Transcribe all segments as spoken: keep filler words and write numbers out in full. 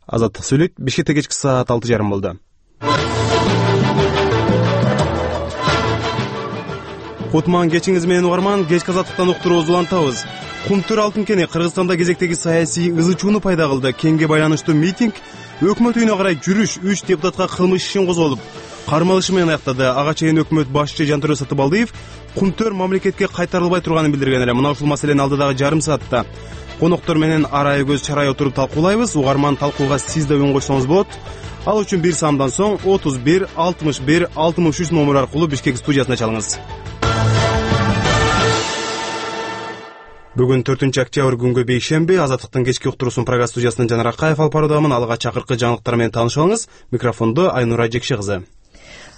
Азаттык сүйлөйт. Бишкекте кечки саат алты жарым болду. Кутман кечиңиз менен угарман, кечки азаттыктан уктуруубузду улантабыз. Кумтөр алтын кени Кыргызстанда кезектеги саясий ызы-чууну пайда кылды. Кенге байланыштуу митинг өкмөт үйүнө карай жүрүш үч депутатка кылмыш ишин козголуп, кармалышы менен аяктады. Ага чейин өкмөт башчы Жантөрө Сатыбалдиев Кумтөр мамлекетке кайтарылбай турганын билдирген эле. Мына ушул маселени алдыдагы жарым саатта коноктор менен арай көз чарай отуруп талкуулайбыз. Угарман, талкууга сиз да үн койсоңуз болот. Ал үчүн бир саамдан соң отуз бир алтымыш бир алтымыш үч номер аркылуу Бишкек студиясына чалыңыз. Бүгүн төртүнчү октябрь күнгө бейшемби. Азаттыктын кечки уктуруусун программа студиясынан Жанар Акаев алып баруудамын. Алга чакыркы жаңылыктар менен таанышып алыңыз. Микрофондо Айнура Жекши кызы.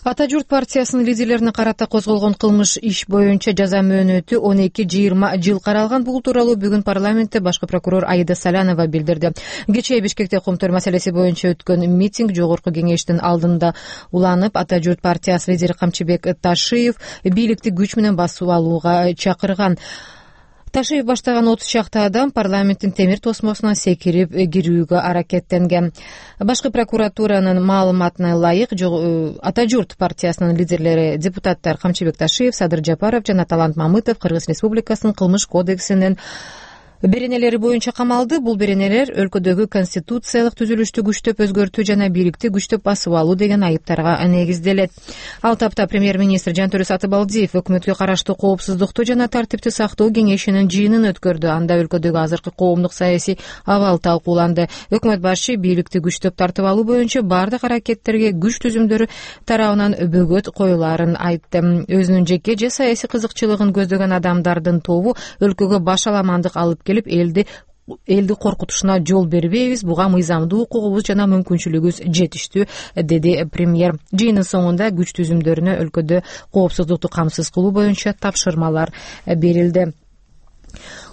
Ата журт партиясынын лидерлерине карата козголгон кылмыш иш боюнча жаза мөөнөтү он эки жыйырма жыл каралган. Бул тууралуу бүгүн парламентте башкы прокурор Аида Салянова билдирди. Кечээ Бишкекте Кумтөр маселеси боюнча өткөн митинг жогорку кеңештин алдында уланып, Ата журт партиясы лидери Камчыбек Ташиев бийликти күч менен басып алууга чакырган. Ташиев баштаган отуз чакты адам парламенттин темир тосмосуна секирип кирүүгө аракеттенген. Башкы прокуратуранын маалыматына ылайык, Ата журт партиясынын лидерлери депутаттар Камчыбек Ташиев, Садыр Жапаров жана Талант Мамытов Кыргыз Республикасынын кылмыш кодексинин беренелери боюнча камалды. Бул беренелер өлкөдөгү конституциялык түзүлүштү күчтөп өзгөртүү жана бийликти күчтөп басып алуу деген айыптарга негизделет. Ал тапта премьер-министр Жантөрө Сатыбалдиев өкмөткө караштуу коопсуздукту жана тартипти сактоо кеңешинин жыйынын өткөрдү. Анда өлкөдөгү азыркы коомдук саясий абал талкууланды. Өкмөт башы бийликти күчтөп тартып алуу боюнча бардык аракеттерге күч түзүмдөрү тарабынан бөгөт коюларын айтты. Өзүнүн жеке же саясий кызыкчылыгын көздөгөн адамдардын тобу өлкөгө башаламандык алып элди элди коркутушуна жол бербейбиз, буга мыйзамдуу укугубуз жана мүмкүнчүлүгүбүз жетиштүү, деди премьер. Жыйындын соңунда күч түзүмдөрүнө өлкөдө коопсуздукту камсыз кылуу боюнча тапшырмалар берилди.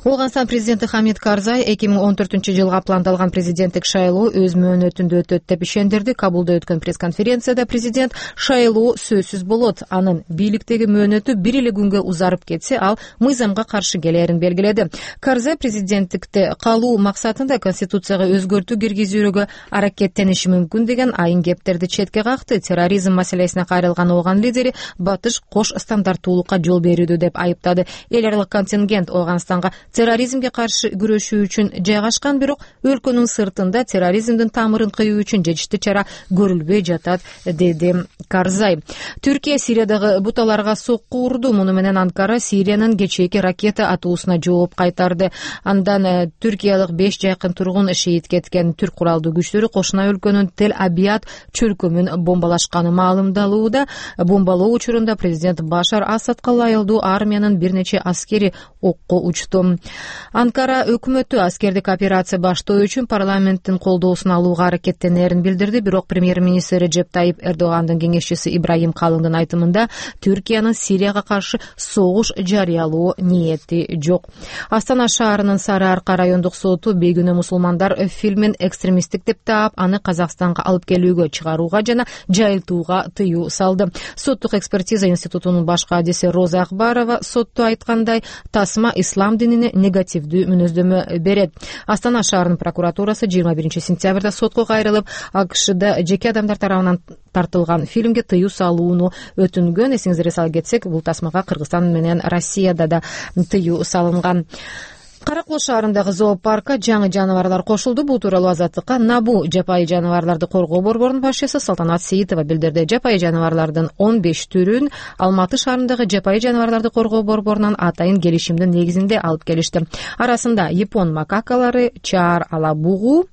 Ооганстан президенти Хамид Карзай эки миң он төртүнчү жылга пландалган президенттик шайлоо өз мөөнөтүндө өтөт деп ишендирди. Кабулда өткөн пресс-конференцияда президент шайлоо сөзсүз болот, анын бийликтеги мөөнөтү бир эле күнгө узарып кетсе, ал мыйзамга каршы келерин белгиледи. Карзай президенттикте калуу максатында конституцияга өзгөртүү киргизүүгө аракеттениши мүмкүн деген айын кептерди четке какты. Терроризм маселесине кайрылган Ооган лидери батыш кош стандарттуулукка жол берүүдө деп айыптады. Эл аралык контингент Ооганстанга терроризмге каршы күрөшүү үчүн жайгашкан, бирок өлкөнүн сыртында терроризмдин тамырын кыюу үчүн жетиштүү чара көрүлбөй жатат, деди Карзай. Түркия Сириядагы буталарга сокку урду. Муну менен Анкара Сириянын кечээки ракета атуусуна жооп кайтарды. Андан түркиялык беш жакын тургун шейит кеткен. Түрк куралдуу күчтөрү кошуна өлкөнүн Тель-Абияд чөлкөмүн бомбалашканы маалымдалууда. Бомбалоо учурунда президент Башар Асадка ылайыктуу армиянын бир нече аскери окко учту. Анкара өкмөтү аскердик операция баштоо үчүн парламенттин колдоосун алууга аракеттенерин билдирди, бирок премьер-министр Реджеп Тайип Эрдогандын кеңешчиси Ибрахим Калындын айтымында Түркиянын Сирияга каршы согуш жарыялоо ниети жок. Астана шаарынын Сары Арка райондук соту бейгүнөө мусулмандар фильмин экстремисттик деп таап, аны Казакстанга алып келүүгө, чыгарууга жана жайылтууга тыюу салды. Соттук экспертиза институтунун баш кадиси Роза Акбарова сотто айткандай, тасма ислам динине негативдүү мүнөздөмө берет. Астана шаарынын прокуратурасы жыйырма биринчи сентябрда сотко кайрылып, АКШда жеке адамдар тарабынан тартылган фильмге тыюу салууну өтүнгөн. Эсиңизге сала кетсек, бул тасмага Кыргызстан менен Россияда да тыюу салынган. Кара Кол шаарындагы зоопаркка жаңы жаныбарлар кошулду. Бул тууралуу Азаттыкка Набу жапайы жаныбарларды коргоо борборунун башчысы Салтанат Сейитова билдирди. Жапайы жаныбарлардын он беш түрүн Алматы шаарындагы жапайы жаныбарларды коргоо борборунан атайын келишимдин негизинде алып келишти. Арасында япон макакалары, чаар алабугу,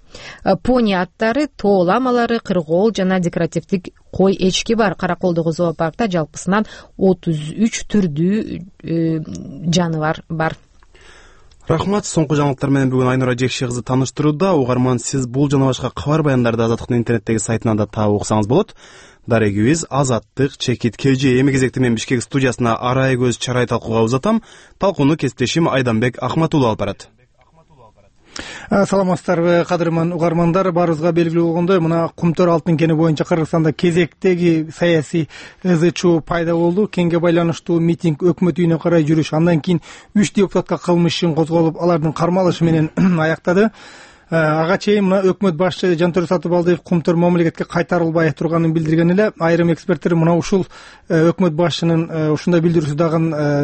пони аттары, тоо ламалары, кыргоол жана декоративдик кой эчки бар. Караколдогу зоопаркта жалпысынан отуз үч түрдүү э, жаныбар бар. Рахмат. Соңку жаңылыктар менен бүгүн Айнура Жекши кызы тааныштырууда. Угарман, сиз бул жана башка кабар баяндарды Азаттыктын интернеттеги сайтынан да таап уксаңыз болот. Дарегибиз Азаттык чекит кж. Эми кезекте мен Бишкек студиясына арай көз чарай талкууга узатам. Талкууну кесиптешим Айданбек Ахматулов алып барат. Саламатсыздарбы, кадырман угармандар. Баарыбызга белгилүү болгондой, мына Кумтөр алтын кени боюнча Кыргызстанда кезектеги саясий ызы-чуу пайда болду. Кенге байланыштуу митинг, өкмөт үйүнө карай жүрүш, андан кийин үч депутатка кылмыш ишин козголуп, алардын кармалышы менен аяктады. ага чейин мына өкмөт башчы Жантөрө Сатыбалдиев кумтөр мамлекетке кайтарылбай турганын билдирген эле. Айрым эксперттер мына ушул өкмөт башчынын ушундай билдирүүсү дагы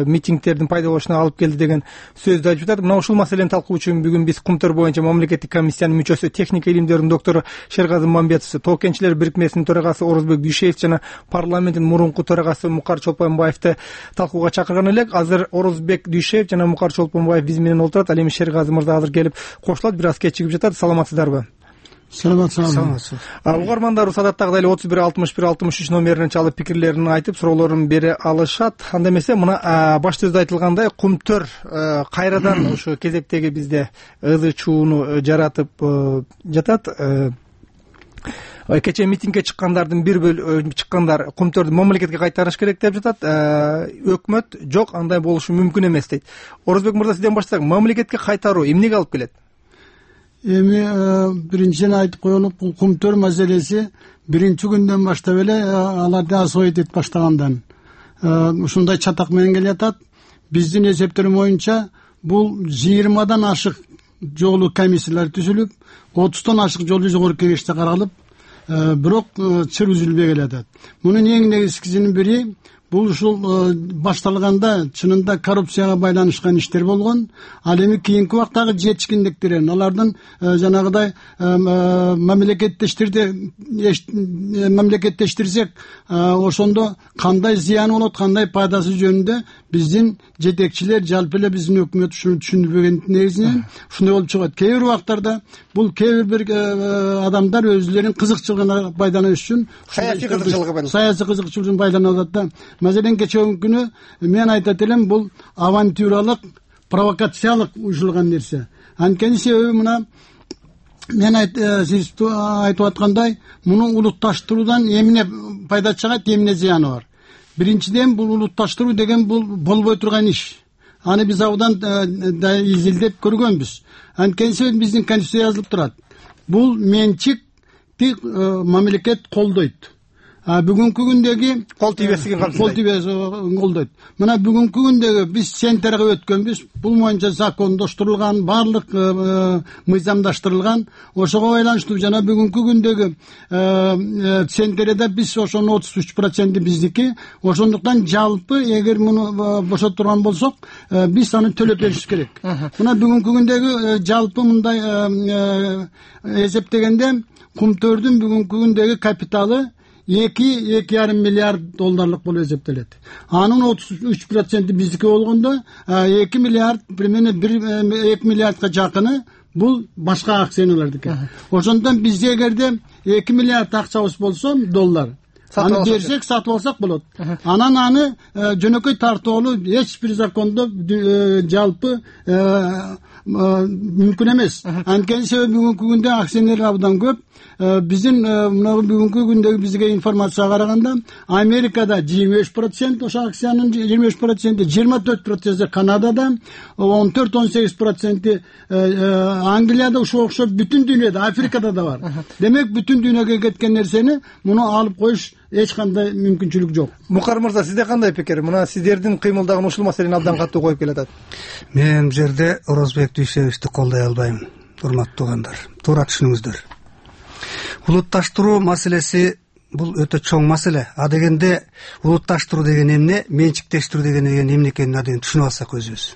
митингдердин пайда болушуна алып келди деген сөздү айтып жатат. Мына ушул маселени талкуу үчүн бүгүн биз кумтөр боюнча мамлекеттик комиссиянын мүчөсү, техника илимдеринин доктору Шерказы Мамбетов, Тоо кен ичилер бирикмесинин төрагасы Орозбек Дүйшеев жана парламенттин мурунку төрагасы Мукар Чолпонбаевди талкууга чакырган элек. Азыр Орозбек Дүйшеев жана Мукар Чолпонбаев биз менен отурат. Ал эми Шерказы мырза азыр келип кошулат, бир аз кечигип жатат. Саламатсыздарбы? Саламатсызбы. Угармандарыбыз адаттагыдай эле отуз бир алтымыш бир алтымыш үч номерине чалып пикирлерин айтып, суроолорун бере алышат. Анда эмесе мына баш сөздө айтылгандай кумтөр кайрадан ушу кезектеги бизде ызы чууну жаратып жатат. Кечээ митингге чыккандардын бир бөлүгү чыккандар кумтөрдү мамлекетке кайтарыш керек деп жатат. Өкмөт жок, андай болушу мүмкүн эмес дейт. Орозбек мырза, сизден баштасак, мамлекетке кайтаруу эмнеге алып келет? Эми биринчиден айтып коелук, бул кумтөр маселеси биринчи күндөн баштап эле аларды освоить этип баштагандан ушундай чатак менен келатат. Биздин эсептерим боюнча бул жыйырмадан ашык жолу комиссиялар түзүлүп, отуздон ашык жолу жогорку кеңеште каралып, бирок чыр үзүлбөй келатат. Мунун эң негизгисинин бири бул ушул башталганда чынында коррупцияга байланышкан иштер болгон. Ал эми кийинки убактагы жетишкиндиктерин, алардын жанагыдай мамлекеттештирди мамлекеттештирсек, ошондо кандай зыяны болот, кандай пайдасы жөнүндө биздин жетекчилер, жалпы эле биздин өкмөт ушуну түшүнбөгөн негизинен ушундай болуп чыгат. Кээ бир убактарда бул кээ бир адамдар өзүлөрүнүн кызыкчылыгына байланыш үчүн, саясий кызыкчылыгы саясий кызыкчылык үчүн байланып атат. Маселен кечээ күнү мен айтат элем, бул авантюралык, провокациялык уюшулган нерсе. Анткени себеби мына мен сиз айтып аткандай, муну улутташтыруудан эмне пайда чыгат, эмне зыяны бар. Биринчиден, бул улутташтыруу деген бул болбой турган иш. Аны биз абдан да изилдеп көргөнбүз. Анткени биздин конституция жазылып турат. Бул менчикти мамлекет колдойт. Бүгүнкү күндөгү кол тийбестигин кол тийбестигин колдойт. Мына бүгүнкү күндөгү биз центрге өткөнбүз. Бул боюнча закондоштурулган, баардык мыйзамдаштырылган. Ошого байланыштуу жана бүгүнкү күндөгү центрде биз ошонун отуз үч проценти биздики. Ошондуктан жалпы эгер муну бошотурган болсок, биз аны төлөп беришибиз керек. Мына бүгүнкү күндөгү жалпы мындай эсептегенде кумтөрдүн бүгүнкү күндөгү капиталы эки эки жарым миллиард долларлык болуп эсептелет. Анын отуз үч проценти биздики болгондо эки миллиард, примерно эки миллиардка жакыны бул башка акционерлердики. Ошондон биз эгерде эки миллиард акчабыз болсо, доллар, аны берсек, сатып алсак болот. Анан аны жөнөкөй тартуулуу эч бир закондо жалпы мүмкүн эмес. Анткени себеби бүгүнкү күндө акционерлер абдан көп. Биздин мына бүгүнкү күндөгү бизге информацияга караганда, Америкада жыйырма беш процент ошо акциянын жыйырма беш проценти, жыйырма төрт проценти Канадада, он төрт он сегиз проценти Англияда, ушуга окшоп бүтүн дүйнөдө, Африкада да бар. Демек бүтүн дүйнөгө кеткен нерсени муну алып коюш эч кандай мүмкүнчүлүк жок. Мукар мырза, сизде кандай пикир? Мына сиздердин кыймылдагын ушул маселени абдан катуу коюп келатат. Мен бул жерде Орозбек Дүйшеевичти колдой албайм, урматтуу туугандар. Туура түшүнүңүздөр. Улутташтыруу маселеси бул өтө чоң маселе. А дегенде улутташтыруу деген эмне, менчиктештирүү деген эмне экенин адegen түшүнүп алсак өзүбүз.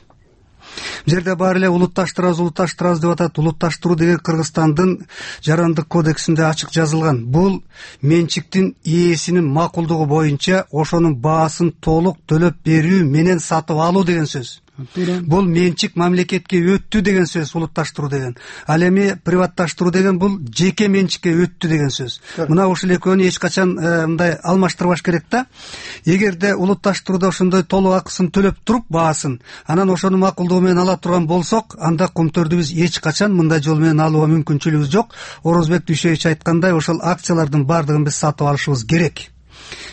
Бул жерде баары эле улутташтырабыз, улутташтырабыз деп атат. Улутташтыруу деген Кыргызстандын жарандык кодексинде ачык жазылган. Бул менчиктин ээсинин макулдугу боюнча ошонун баасын толук төлөп берүү менен сатып алуу деген сөз. Бул менчик мамлекетке өттү деген сөз улутташтыруу деген. Ал эми приватташтыруу деген бул жеке менчикке өттү деген сөз. Мына ушул экөөнү эч качан мындай алмаштырбаш керек да. Эгерде улутташтырууда ошондой толук акысын төлөп туруп баасын, анан ошону макулдугу менен ала турган болсок, анда кумтөрдү биз эч качан мындай жол менен алууга мүмкүнчүлүгүбүз жок. Орозбек Дүйшеевич айткандай, ошол акциялардын баардыгын биз сатып алышыбыз керек.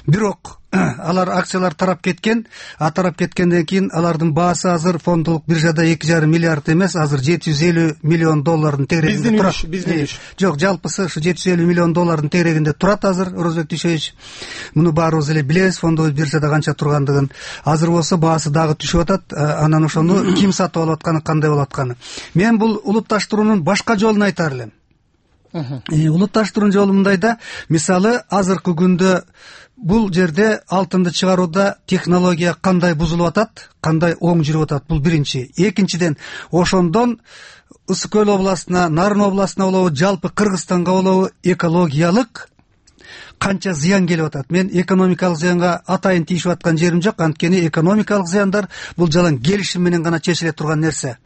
бирок алар акциялар тарап кеткен, а тарап кеткенден кийин алардын баасы азыр фондулук биржада эки жарым миллиард эмес, азыр жети жүз элүү миллион доллардын тегерегинде турат. Биздин үч. Жок, жалпысы ушу жети жүз элүү миллион доллардын тегерегинде турат азыр, Орозбек Дүйшөевич. Муну баарыбыз эле билебиз, фондовой биржада канча тургандыгын. Азыр болсо баасы дагы түшүп атат. Анан ошону ким сатып алып атканы, кандай болуп атканы. Мен бул улутташтыруунун башка жолун айтар элем. Улутташтыруунун жолу мындай да, мисалы азыркы күндө бул жерде алтынды чыгарууда технология кандай бузулуп атат, кандай оң жүрүп атат, бул биринчи. Экинчиден, ошондон Ысык Көл областына, Нарын областына болобу, жалпы Кыргызстанга болобу экологиялык канча зыян келип атат. Мен экономикалык зыянга атайын тийишип аткан жерим жок, анткени экономикалык зыяндар бул жалаң келишим менен гана чечиле турган нерсе.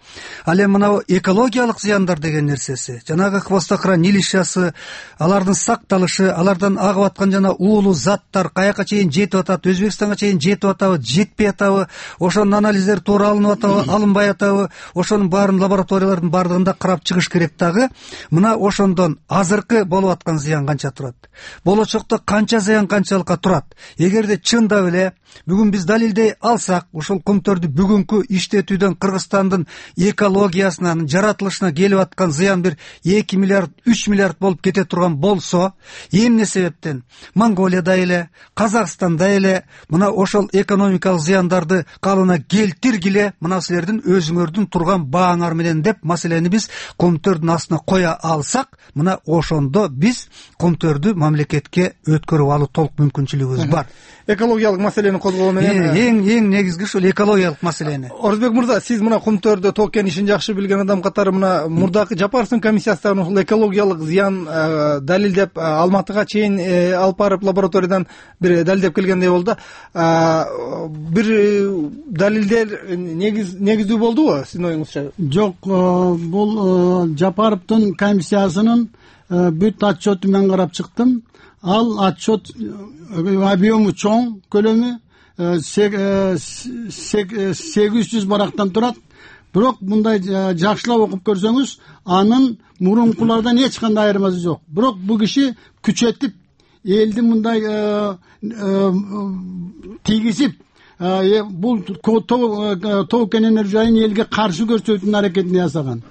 Ал эми мына экологиялык зыяндар деген нерсеси, жанагы Хвостохран илишясы, алардын сакталышы, алардан агып аткан жана уулуу заттар каяка чейин жетип атат, Өзбекстанга чейин жетип атабы, жетпей атабы, ошонун анализдери туура алынып атабы, алынбай атабы, ошонун баарын лабораториялардын баардыгында карап чыгыш керек дагы. Мына ошондон азыркы болуп аткан зыян канча турат, болочокто канча зыян канчалыкка турат. Эгерде чындап эле бүгүн биз далилдей алсак, ушул кумтөрдү бүгүнкү иштетүүдөн Кыргызстандын экологиясынан, жаратылышына келип аткан зыян бир эки миллиард, үч миллиард болуп кете турган болсо, эмне себептен Монголияда эле, Казакстанда эле мына ошол экономикалык зыяндарды калыбына келтиргиле, мына силердин өзүңөрдүн турган бааңар менен деп маселени биз кумтөрдүн астына коя алсак, мына ошондо биз кумтөрдү мамлекетке өткөрүп алуу толук мүмкүнчүлүгүбүз бар. Экологиялык маселени козгоо менен эң эң негизги ушул экологиялык маселени. Орозбек мырза, сиз мына кумтөрдө тоо кен ишин жакшы билген адам катары мына мурдакы Жапаровдун комиссиясынан ушул экологиялык зыян далилдеп Алматыга чейин алып барып лабораториядан бир далилдеп келгендей болду. Бир далилдер негиз негиздүү болдубу сиздин оюңузча? Жок, бул Жапаровдун комиссиясынын бүт отчету мен карап чыктым. Ал отчет объему чоң, көлөмү сегиз жүз барактан турат. Бирок мындай жакшылап окуп көрсөңүз, анын мурункулардан эч кандай айырмасы жок. Бирок бул киши күчөтүп, элди мындай тийгизип, бул тоо кен энергия жайын элге каршы көрсөтүүнүн аракетин жасаган.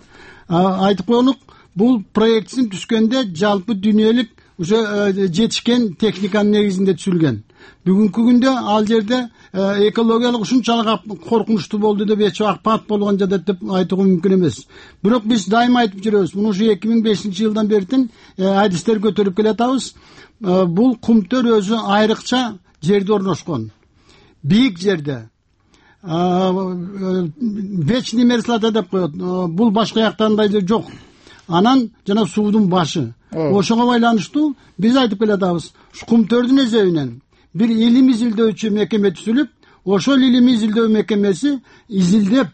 Айтып коелук, бул проектсин түшкөндө жалпы дүйнөлүк уже жетишкен техниканын негизинде түзүлгөн. Бүгүнкү күндө ал жерде экологиялык ушунчалык коркунучтуу болду деп эч апат болгон жада деп айтууга мүмкүн эмес. Бирок биз дайыма айтып жүрөбүз, муну ушу эки миң бешинчи жылдан бертин адистер көтөрүп келатабыз. Бул кумтөр өзү айрыкча жерде орношкон, бийик жерде. Вечный мерзлота деп коет. Бул башка жактандай жок. Анан жана суудун башы. Ошого байланыштуу биз айтып келатабыз. Кумтөрдүн эзебинен бир илим изилдөөчү мекеме түзүлүп, ошол илим изилдөө мекемеси изилдеп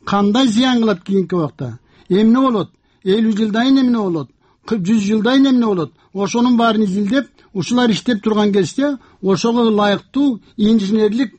кандай зыян кылат кийинки убакта, эмне болот, элүү жылдайын эмне болот, жүз жылдайын эмне болот, ошонун баарын изилдеп, ушулар иштеп турган кезде ошого ылайыктуу инженерлик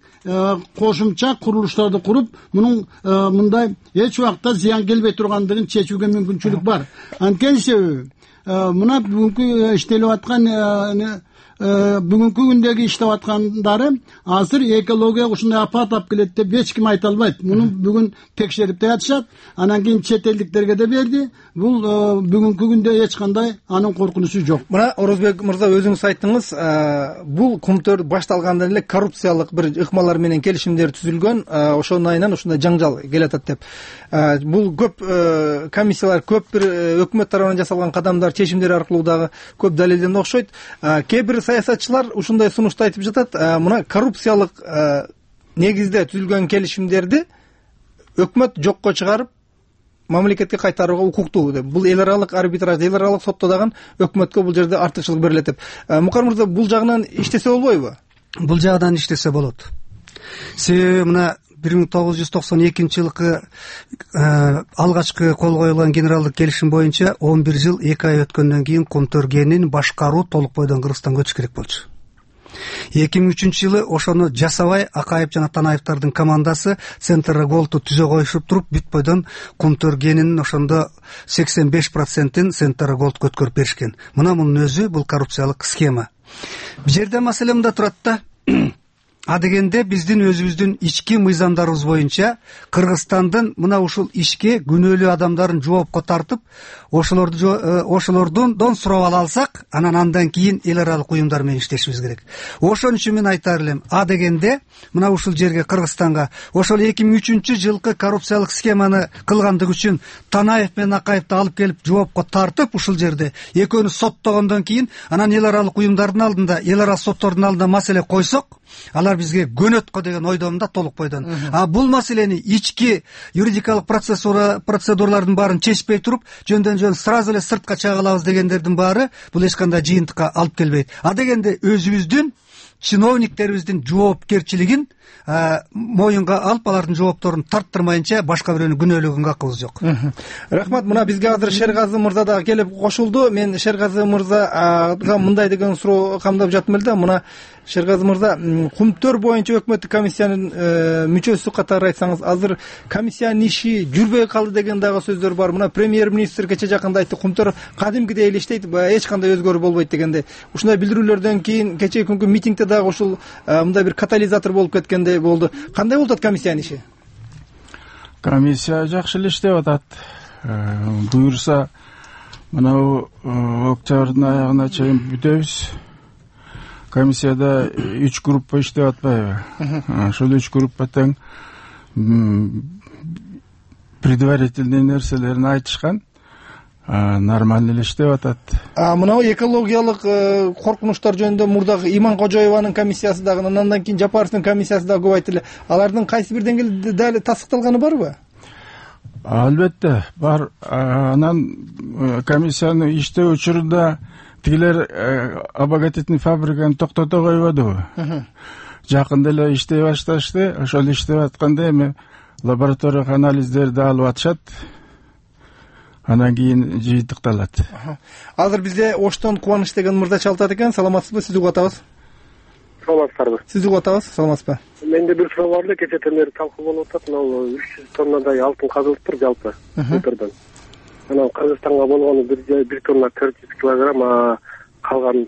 кошумча курулуштарды куруп, мунун мындай эч убакта зыян келбей тургандыгын чечүүгө мүмкүнчүлүк бар. Анткени себеби мына бүгүнкү иштелип аткан бүгүнкү күндөгү иштеп аткандары азыр экология ушундай апат алып келет деп эч ким айта албайт. Муну бүгүн текшерип жатышат, анан кийин чет элдиктерге да берди. Бул бүгүнкү күндө эч кандай анын коркунучу жок. Мына Орозбек мырза, өзүңүз айттыңыз, бул кумтөр башталгандан эле коррупциялык бир ыкмалар менен келишимдер түзүлгөн, ошонун айынан ушундай жаңжал келатат деп. Бул көп комиссиялар, көп бир өкмөт тарабынан жасалган кадамдар, чечимдер аркылуу дагы көп далилденди окшойт. Кээ бир саясатчылар ушундай сунушту айтып жатат, мына коррупциялык негизде түзүлгөн келишимдерди өкмөт жокко чыгарып мамлекетке кайтарууга укуктуу деп. Бул эл аралык арбитраж, эл аралык сотто дагы өкмөткө бул жерде артыкчылык берилет деп. Мукар мырза, бул жагынан иштесе болбойбу? Бул жагынан иштесе болот. Себеби мына бир миң тогуз жүз токсон экинчи жылкы алгачкы кол коюлган генералдык келишим боюнча он бир жыл эки ай өткөндөн кийин кумтөр кенин башкаруу толук бойдон Кыргызстанга өтүш керек болчу. эки миң үчүнчү жылы ошону жасабай Акаев жана Танаевдардын командасы Центр Голду түзө коюшуп туруп бүт бойдон Кумтөр кенинин ошондо сексен беш процентин Центр Голд өткөрүп беришкен. Мына мунун өзү бул коррупциялык схема. Бул жерде маселе мында турат да. Адегенде биздин өзүбүздүн ички мыйзамдарыбыз боюнча Кыргызстандын мына ушул ишке күнөөлүү адамдарын жоопко тартып, ошолорду ошолордон сурап ала алсак, анан андан кийин эл аралык уюмдар менен иштешибиз керек. Ошон үчүн мен айтар элем, адегенде мына ушул жерге Кыргызстанга ошол эки миң үчүнчү жылкы коррупциялык схеманы кылгандыгы үчүн Танаев менен Акаевди алып келип жоопко тартып, ушул жерде экөөнү соттогондон кийин анан эл аралык уюмдардын алдында, эл аралык соттордун алдында маселе койсок, алар бизге көнөт го деген ойдомун да толук бойдон. А бул маселени ички юридикалык процедуралардын баарын чечпей туруп, жөндөн жөн сразу эле сыртка чыга алабыз дегендердин баары бул эч кандай жыйынтыкка алып келбейт. А дегенде өзүбүздүн чиновниктерибиздин жоопкерчилигин моюнга алып, алардын жоопторун тарттырмайынча башка бирөөнү күнөөлөгөнгө акыбыз жок. Рахмат. Мына бизге азыр Шергазы мырза дагы келип кошулду. Мен Шергазы мырзага мындай деген суроо камдап жаттым эле да. Мына Шергазы мырза, Кумтөр боюнча өкмөттүк комиссиянын мүчөсү катары айтсаңыз, азыр комиссиянын иши жүрбөй калды деген дагы сөздөр бар. Мына премьер-министр кече жакында айтты, Кумтөр кадимкидей эле иштейт, эч кандай өзгөрүү болбойт дегенде. Ушундай билдирүүлөрдөн кийин кечеги күnkү митингде дагы ушул мындай бир катализатор болуп кеткендей болду. Кандай болуп атат комиссиянын иши? Комиссия жакшы эле иштеп атат. Буюрса, мына октябрдын аягына чейин бүтөбүз. Комиссияда үч группа иштеп атпайбы? Ошол үч группа тең предварительный нерселерин айтышкан. Нормально эле иштеп атат. А мына экологиялык коркунучтар жөнүндө мурдагы Иман Кожоеванын комиссиясы дагы, андан кийин Жапаровдун комиссиясы дагы көп айтылды. Алардын кайсы бир деңгээлде дали тастыкталганы барбы? Албетте бар. Анан комиссиянын иштөө учурунда тигилер обогатительный фабриканы токтото койбодубу? Жакында эле иштей башташты. Ошол иштеп атканда эми лабораториялык анализдерди алып атышат. Анан кийин жыйынтыкталат. Азыр бизде Оштон Кубаныч деген мырза чалтат экен. Саламатсызбы? Сизди угуп атабыз. Саламатсызбы? Сизди угуп атабыз. Саламатсызбы? Менде бир суроо бар эле. Кечээден бери талкуу болуп атат. Мына үч жүз тоннадай алтын казылыптыр жалпы Кумтөрдөн. Анан Кыргызстанга болгону бир тонна төрт жүз килограмм, а калган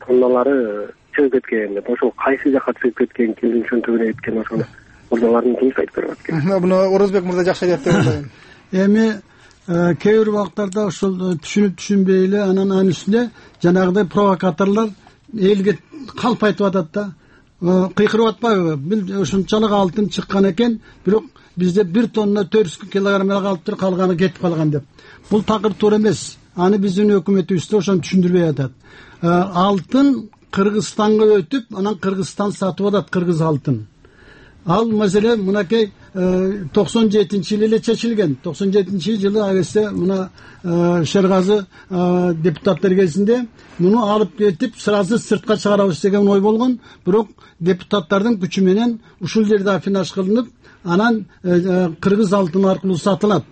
тонналары чыгып кеткен. Ошол кайсы жака чыгып кеткен, кимдин чөнтөгүнө кеткен, ошону мурдалардын туруп айтып берип атат. Муну Орозбек мырза жакшы айтат деп ойлойм. Эми кээ бир убактарда ошол түшүнүп түшүнбөй эле анан анын үстүнө жанагыдай провокаторлор элге калп айтып атат да. Кыйкырып атпайбы? Бил ушунчалык алтын чыккан экен, бирок бизде бир тонна төрт жүз килограмм калыптыр, калганы кетип калган деп. Бул такыр туура эмес. Аны биздин өкмөтүбүз да ошону түшүндүрбөй атат. Алтын Кыргызстанга өтүп, анан Кыргызстан сатып атат, кыргыз алтын. Ал маселе мынакей токсон жетинчи жылы эле чечилген. токсон жетинчи жылы агесте мына Шергазы депутаттар кезинде муну алып кетип сразу сыртка чыгарабыз деген ой болгон. Бирок депутаттардын күчү менен ушул жерде афинаж кылынып, анан кыргыз алтыны аркылуу сатылат.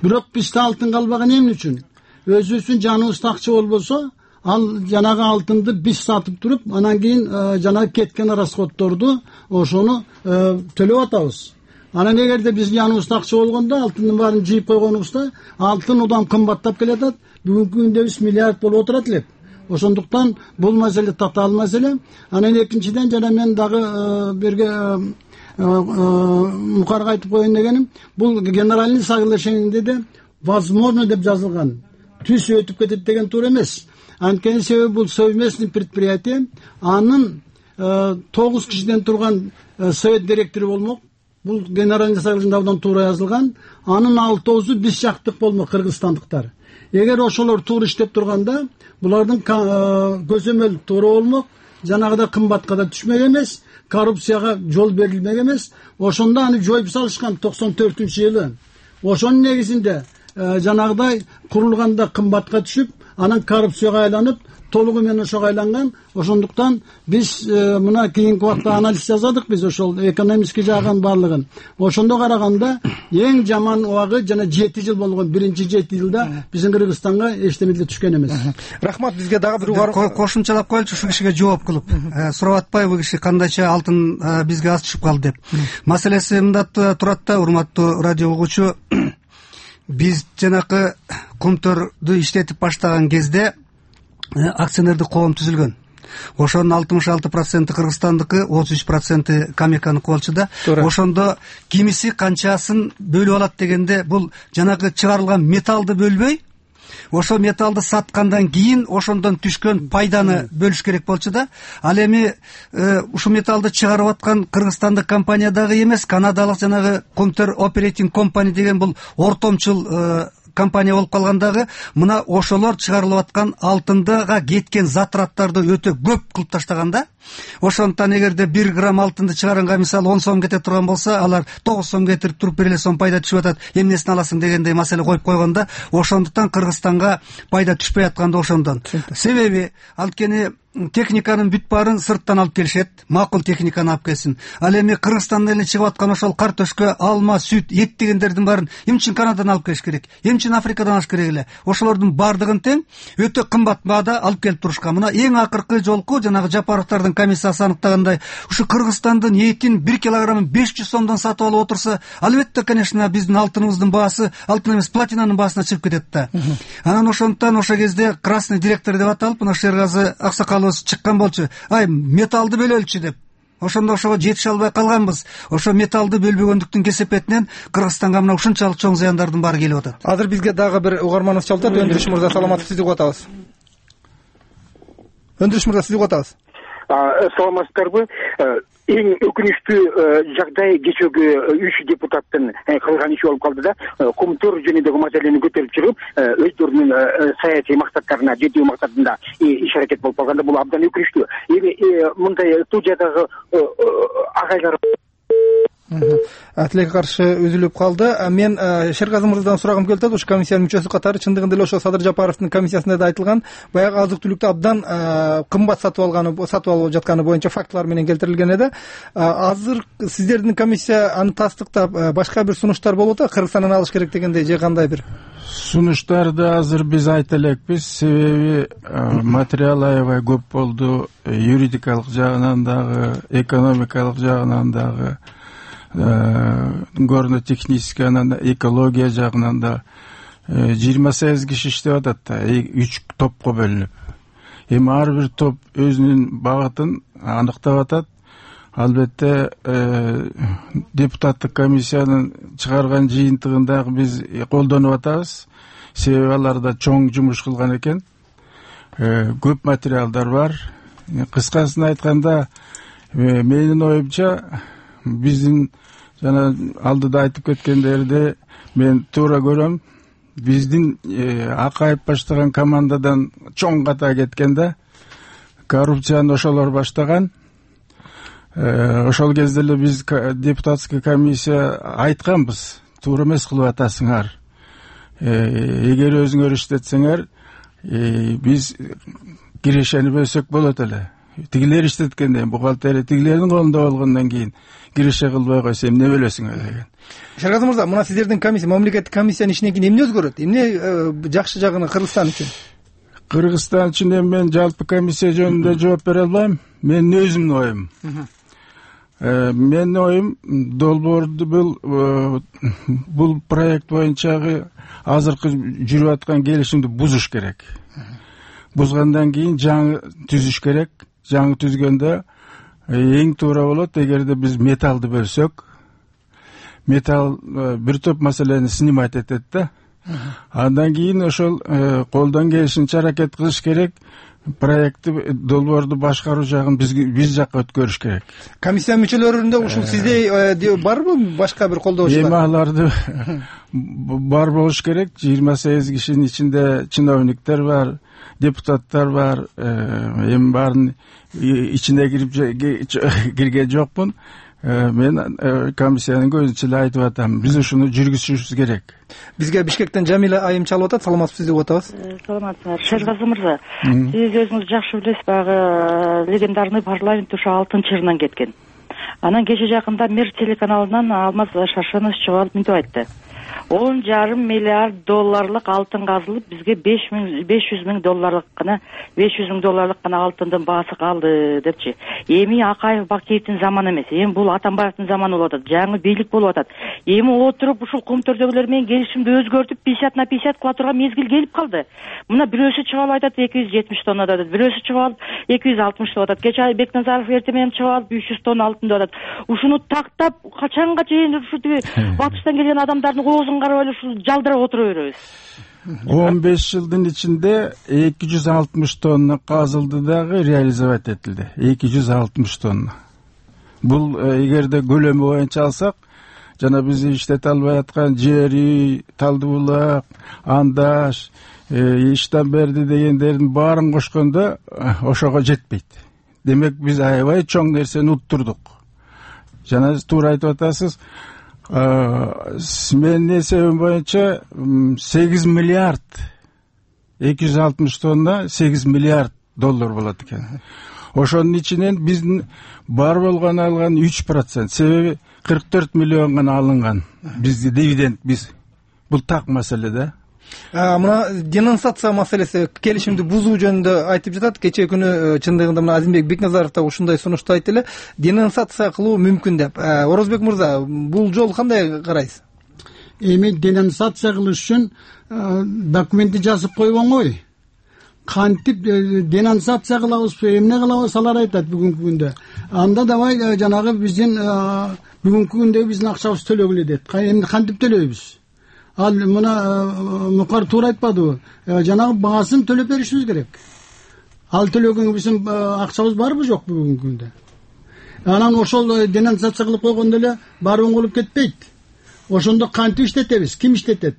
Бирок бизде алтын калбаган эмне үчүн? Өзүбүздүн жаныбызда акча болбосо, ал жанагы алтынды биз сатып туруп, анан кийин жанагы кеткен расходторду ошону төлөп атабыз. Анан эгерде биздин жаныбызда акча болгондо, алтындын баарын жыйып койгонубузда, алтын удан кымбаттап келатат. Бүгүнкү күндө биз миллиард болуп отурат элек. Ошондуктан бул маселе татаал маселе. Анан экинчиден жана мен дагы бирге мукарга айтып коеюн дегеним, бул генеральный соглашениеде де возможно деп жазылган. Түз өтүп кетет деген туура эмес. Анткени себеби бул совместный предприятие, анын тогуз кишиден турган совет директору болмок. Бул генеральный соглашениеде абдан туура жазылган. Анын алтоозу биз жактык болмок, кыргызстандыктар. Эгер ошолор туура иштеп турганда, булардын көзөмөл туура болмок, жанагыда кымбатка да түшмөк эмес, коррупцияга жол берилмек эмес. Ошондо аны жоюп салышкан токсон төртүнчү жылы. Ошонун негизинде жанагыдай курулганда кымбатка түшүп, анан коррупцияга айланып, толугу менен ошого айланган. Ошондуктан биз мына кийинки убакта анализ жасадык биз ошол экономический жагын баардыгын. Ошондо караганда эң жаман убагы жана жети жыл болгон. Биринчи жети жылда биздин Кыргызстанга эчтеме деле түшкөн эмес. Рахмат. Бизге дагы бир кошумчалап коелучу ушул кишиге жооп кылып. Сурап атпайбы киши кандайча алтын бизге аз түшүп калды деп. Маселеси мында турат да, урматтуу радио угуучу. Биз жанакы Кумтөрдү иштетип баштаган кезде акционердик коом түзүлгөн. Ошонун алтымыш алты проценти Кыргызстандыкы, отуз үч проценти Камеканыкы болчу да. Ошондо кимиси канчасын бөлүп алат дегенде, бул жанагы чыгарылган металлды бөлбөй, ошо металлды саткандан кийин ошондон түшкөн пайданы бөлүш керек болчу да. Ал эми ушул металлды чыгарып аткан Кыргызстандык компания дагы эмес, канадалык жанагы Кумтөр Operating Company деген бул ортомчул компания болуп калгандагы, мына ошолор чыгарылып аткан алтындыга кеткен затраттарды өтө көп кылып таштаган да. Ошондуктан эгерде бир грамм алтынды чыгарганга мисалы он сом кете турган болсо, алар тогуз сом кетирип туруп бир эле сом пайда түшүп атат. Эмнесин аласың дегендей маселе коюп койгон да. Ошондуктан Кыргызстанга пайда түшпөй аткан да ошондон. Себеби анткени техниканын бүт баарын сырттан алып келишет, макул техниканы алып келсин. Ал эми Кыргызстандан эле чыгып аткан ошол картөшкө, алма, сүт, эт дегендердин баарын эмне үчүн Канададан алып келиш керек? Эмне үчүн Африкадан алыш керек эле? Ошолордун баардыгын тең өтө кымбат баада алып келип турушкан. Мына эң акыркы жолку жанагы Жапаровдардын комиссиясы аныктагандай, ушу Кыргызстандын этин бир килограммын беш жүз сомдон сатып алып отурса, албетте, конечно, биздин алтыныбыздын баасы, алтын эмес, платинанын баасына чыгып кетет да. Анан ошондуктан ошол кезде красный директор деп аталып, мына Шергазы аксакал чыккан болчу. Ай, металлды бөлөлчү деп. Ошондо ошого жетише албай калганбыз. Ошо металлды бөлбөгөндүктүн кесепетинен Кыргызстанга мына ушунчалык чоң зыяндардын баары келип атат. Азыр бизге дагы бир угарманыбыз чалып атат. Өндүрүш мырза, саламатсызбы? Сизди угуп атабыз. Өндүрүш мырза, сизди угуп атабыз. Саламатсыздарбы? Эң өкүнүчтүү жагдай кечеги үч депутаттын кылган иши болуп калды да. Кумтөр жөнүндөгү маселени көтөрүп чыгып, өздөрүнүн саясий максаттарына жетүү максатында иш аракет болуп калганда, бул абдан өкүнүчтүү. Эми мындай студиядагы агайлар тилекке каршы үзүлүп калды. Мен Шергазы мырзадан сурагым келип атат. Ушу комиссиянын мүчөсү катары чындыгында эле ошо Садыр Жапаровдун комиссиясында да айтылган, баягы азык-түлүктү абдан кымбат сатып алганы, сатып алып жатканы боюнча фактылар менен келтирилген эди. Азыр сиздердин комиссия аны тастыктап, башка бир сунуштар болуп атат, Кыргызстандан алыш керек дегендей же кандай бир сунуштарды азыр биз айта элекпиз. Себеби материал аябай көп болду, юридикалык жагынан дагы, экономикалык жагынан дагы, горно технический, анан экология жагынан да жыйырма сегиз киши иштеп атат да, үч топко бөлүнүп. Эми ар бир топ өзүнүн багытын аныктап атат. Албетте депутаттык комиссиянын чыгарган жыйынтыгын дагы биз колдонуп атабыз. Себеби аларда чоң жумуш кылган экен. Көп материалдар бар. Кыскасын айтканда, менин оюмча, биздин жана алдыда айтып кеткендерди мен туура көрөм. Биздин Акаев баштаган командадан чоң ката кеткен да, коррупцияны ошолор баштаган. Ошол кезде эле биз депутатский комиссия айтканбыз, туура эмес кылып атасыңар. Эгер өзүңөр иштетсеңер, биз кирешени бөлсөк болот эле. Тигилер иштеткенде, бухгалтерия тигилердин колунда болгондон кийин киреше кылбай койсо эмне бөлөсүңөр деген. Шергазы мырза, мына сиздердин комиссия, мамлекеттик комиссиянын ишинен кийин эмне өзгөрөт? Эмне жакшы жагын Кыргызстан үчүн? Кыргызстан үчүн мен жалпы комиссия жөнүндө жооп бере албайм. Менин өзүмдүн оюм. Менин оюм, долбоорду бул бул проект боюнчагы азыркы жүрүп аткан келишимди бузуш керек. Бузгандан кийин жаңы түзүш керек. Жаңы түзгөндө эң туура болот эгерде биз металлды бөлсөк. Металл бир топ маселени снимать этет да. Андан кийин ошол колдон келишинче аракет кылыш керек. Проектти, долбоорду башкаруу жагын биз биз жакка өткөрүш керек. Комиссия мүчөлөрүндө ушул сиздей барбы, башка бир колдоочулар? Эми аларды бар болуш керек. жыйырма сегиз кишинин ичинде чиновниктер бар, депутаттар бар. Эми баарын ичине кирип кирген жокмун. мен комиссиянын көзүнчө эле айтып атам, биз ушуну жүргүзүшүбүз керек. Бизге Бишкектен Жамиля айым чалып атат. Саламатсызбы, деп атабыз. Саламатсыздар. Шергази мырза, сиз өзүңүз жакшы билесиз, баягы легендарный парламент ушу алтынчы жырынан кеткен. Анан кече жакында Мир телеканалынан Алмаз Шаршенов чыгып алып мынтип айтты: он жарым миллиард долларлык алтын казылып, бизге беш жүз миң долларлык гана беш жүз миң долларлык гана алтындын баасы калды депчи. Эми Акаев Бакиевдин заманы эмес, эми бул Атамбаевдин заманы болуп атат, жаңы бийлик болуп атат. Эми отуруп ушул Кумтөрдөгүлөр менен келишимди өзгөртүп пятьдесят на пятьдесят кыла турган мезгил келип калды. Мына бирөөсү чыгып алып айтат эки жүз жетимиш тонна деп атат, бирөөсү чыгып алып эки жүз алтымыш деп атат. Кече Бекназаров эртең менен чыгып алып үч жүз тонна алтын деп атат. Ушуну тактап качанга чейин ушу батыштан келген адамдардын оозун карап эле ушул жалдырап отура беребиз? он беш жылдын ичинде эки жүз алтымыш тонна казылды дагы реализовать этилди. эки жүз алтымыш тонна. Бул эгерде көлөмү боюнча алсак, жана биз иштете албай аткан жер үй, Талды булак, Андаш, Иштан берди дегендердин баарын кошкондо ошого жетпейт. Демек биз аябай чоң нерсени уттурдук. Жана сиз туура айтып атасыз, менин эсебим боюнча сегиз миллиард эки жүз алтымыш тонна сегиз миллиард доллар болот экен. Ошонун ичинен биздин бар болгону алган үч процент, себеби кырк төрт миллион гана алынган бизди дивиденд. Биз бул так маселе да. Мына денонсация маселеси, келишимди бузуу жөнүндө айтып жатат. Кечээ күнү чындыгында мына Азимбек Бекназаров да ушундай сунушту айтты эле, денонсация кылуу мүмкүн деп. Орозбек мырза, бул жол кандай карайсыз? Эми денонсация кылыш үчүн документти жазып коюп оңой. Кантип денонсация кылабызбы, эмне кылабыз, алар айтат бүгүнкү күндө. Анда давай жанагы биздин бүгүнкү күндө биздин акчабыз төлөгүлө дейт. Эмне кантип төлөйбүз? Ал мына Мукар туура айтпадыбы? Жанагы баасын төлөп беришибиз керек. Ал төлөгөнгө биздин акчабыз барбы, жок бүгүнкү күндө? Анан ошол денонсация кылып койгондо эле баары оңолуп кетпейт. Ошондо кантип иштетебиз? Ким иштетет?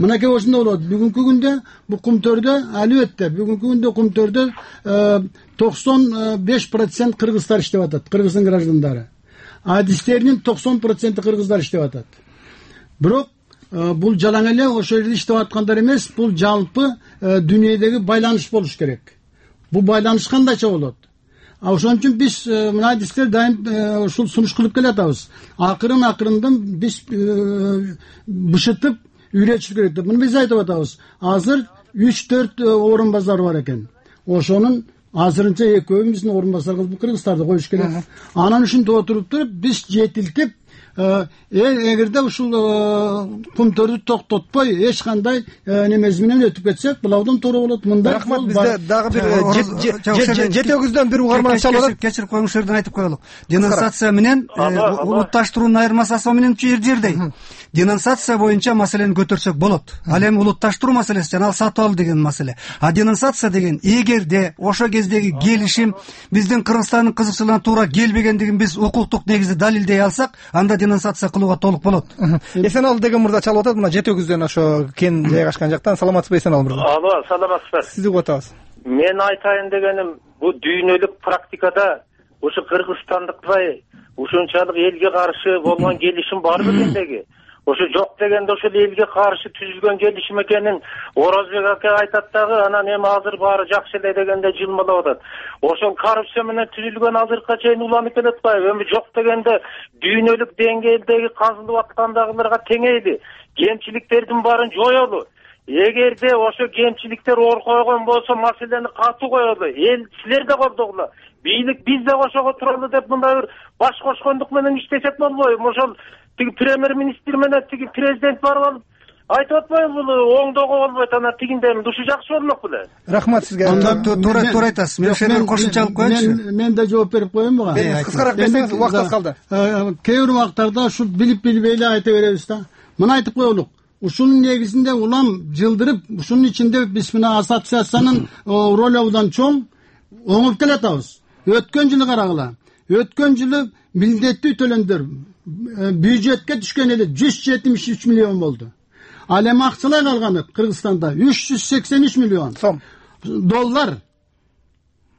Мынакей ошондой болот. Бүгүнкү күндө бул Кумтөрдө албетте бүгүнкү күндө Кумтөрдө токсон беш процент кыргыздар иштеп атат, кыргыздын граждандары. Адистеринин токсон проценти кыргыздар иштеп атат. Бирок бул жалаң эле ошол жерде иштеп аткандар эмес, бул жалпы дүйнөдөгү байланыш болуш керек. Бул байланыш кандайча болот? А ошон үчүн биз мына адистер дайым ушул сунуш кылып келатабыз. Акырын акырындан биз бышытып үйрөтүш керек деп. Муну биз айтып атабыз. Азыр үч төрт орун базар бар экен. Ошонун азырынча экөө биздин орун базар кылып кыргыздарды коюш керек. Анан ушинтип отуруп туруп биз жетилтип, эгерде ушул Кумтөрдү токтотпой эч кандай немеси менен өтүп кетсек, булардан туура болот. Мындай рахмат. Бизде дагы бир жети өгүздөн бир угарман чалып, кечирип коюңуз, жерден айтып коелук. Денонсация менен улутташтыруунун айырмасы менен жер жердей. Денонсация боюнча маселени көтөрсөк болот. Ал эми улутташтыруу маселеси жана сатып ал деген маселе. А денонсация деген эгерде ошо кездеги келишим биздин Кыргызстандын кызыкчылыгына туура келбегендигин биз укуктук негизде далилдей алсак, анда денонсация кылууга толук болот. Эсеналы деген мырза чалып атат, мына жети өгүздөн ошо кен жайгашкан жактан. Саламатсызбы Эсеналы мырза? Алло, саламатсызбы. Сизди угуп атабыз. Мен айтайын дегеним, бул дүйнөлүк практикада ушу кыргызстандыктай ушунчалык элге каршы болгон келишим барбы дегендеги? Ошо жок дегенде ошол элге каршы түзүлгөн келишим экенин Орозбек ака айтат дагы, анан эми азыр баары жакшы эле дегенде жылмалап атат. Ошол коррупция менен түзүлгөн азыркыга чейин уланып келатпайбы? Эми жок дегенде дүйнөлүк деңгээлдеги казылып аткандагыларга теңейли, кемчиликтердин баарын жоелу. Эгерде ошо кемчиликтер ор койгон болсо, маселени катуу коелу. Эл силер да колдогула. Бийлик биз да ошого туралы деп мындай бир баш кошкондук менен иштесек болбойбу? Ошол тиги премьер-министр менен тиги президент барып алып айтып атпайбы, бул оңдоого болбойт, анан тигиндей ушу жакшы болмок беле? Рахмат сизге. Туура туура айтасыз. Мен ошол кошумча алып коеюнчу. Мен да жооп берип коеюн буга. Кыскараак берсеңиз, убакыт аз калды. Кээ бир убактарда ушул билип билбей эле айта беребиз да. Мына айтып коелук. Ушунун негизинде улам жылдырып, ушунун ичинде биз мына ассоциациянын ролу абдан чоң, оңоп келатабыз. Өткөн жылы карагыла. Өткөн жылы милдеттүү төлөмдөр бюджетке түшкөн эле жүз жетимиш үч миллион болду. Ал эми акчалай калганы Кыргызстанда үч жүз сексен үч миллион сом доллар.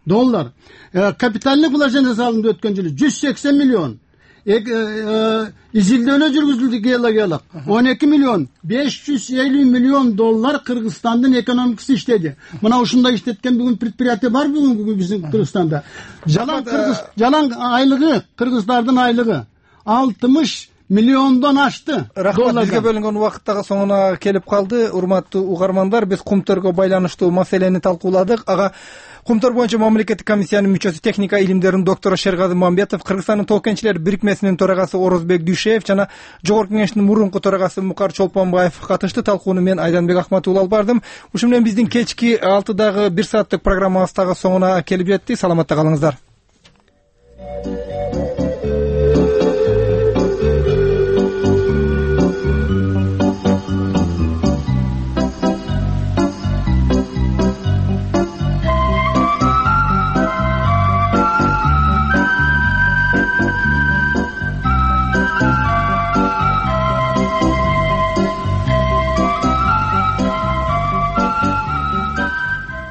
Доллар. Капиталдык вложение салынды өткөн жылы жүз сексен миллион. изилдөөнө жүргүзүлдү геологиялык он эки миллион беш жүз элүү миллион доллар Кыргызстандын экономикасы иштеди. Мына ушундай иштеткен бүгүн предприятие бар бүгүн биздин Кыргызстанда. Жалаң кыргыз жалаң айлыгы, кыргыздардын айлыгы алтымыш миллиондон ашты. Рахмат, бизге бөлүнгөн убакыт дагы соңуна келип калды. Урматтуу угармандар, биз кумтөргө байланыштуу маселени талкууладык. Ага Кумтөр боюнча мамлекеттик комиссиянын мүчөсү, техника илимдеринин доктору Шергази Мамбетов, Кыргызстандын тоо кенчилер бирикмесинин төрагасы Орозбек Дүйшеев жана Жогорку Кеңештин мурунку төрагасы Мукар Чолпонбаев катышты. Талкууну мен Айданбек Акматулла алып бардым. Ушун менен биздин кечки алтыдагы бир сааттык программабыз дагы соңуна келип жетти. Саламатта калыңыздар.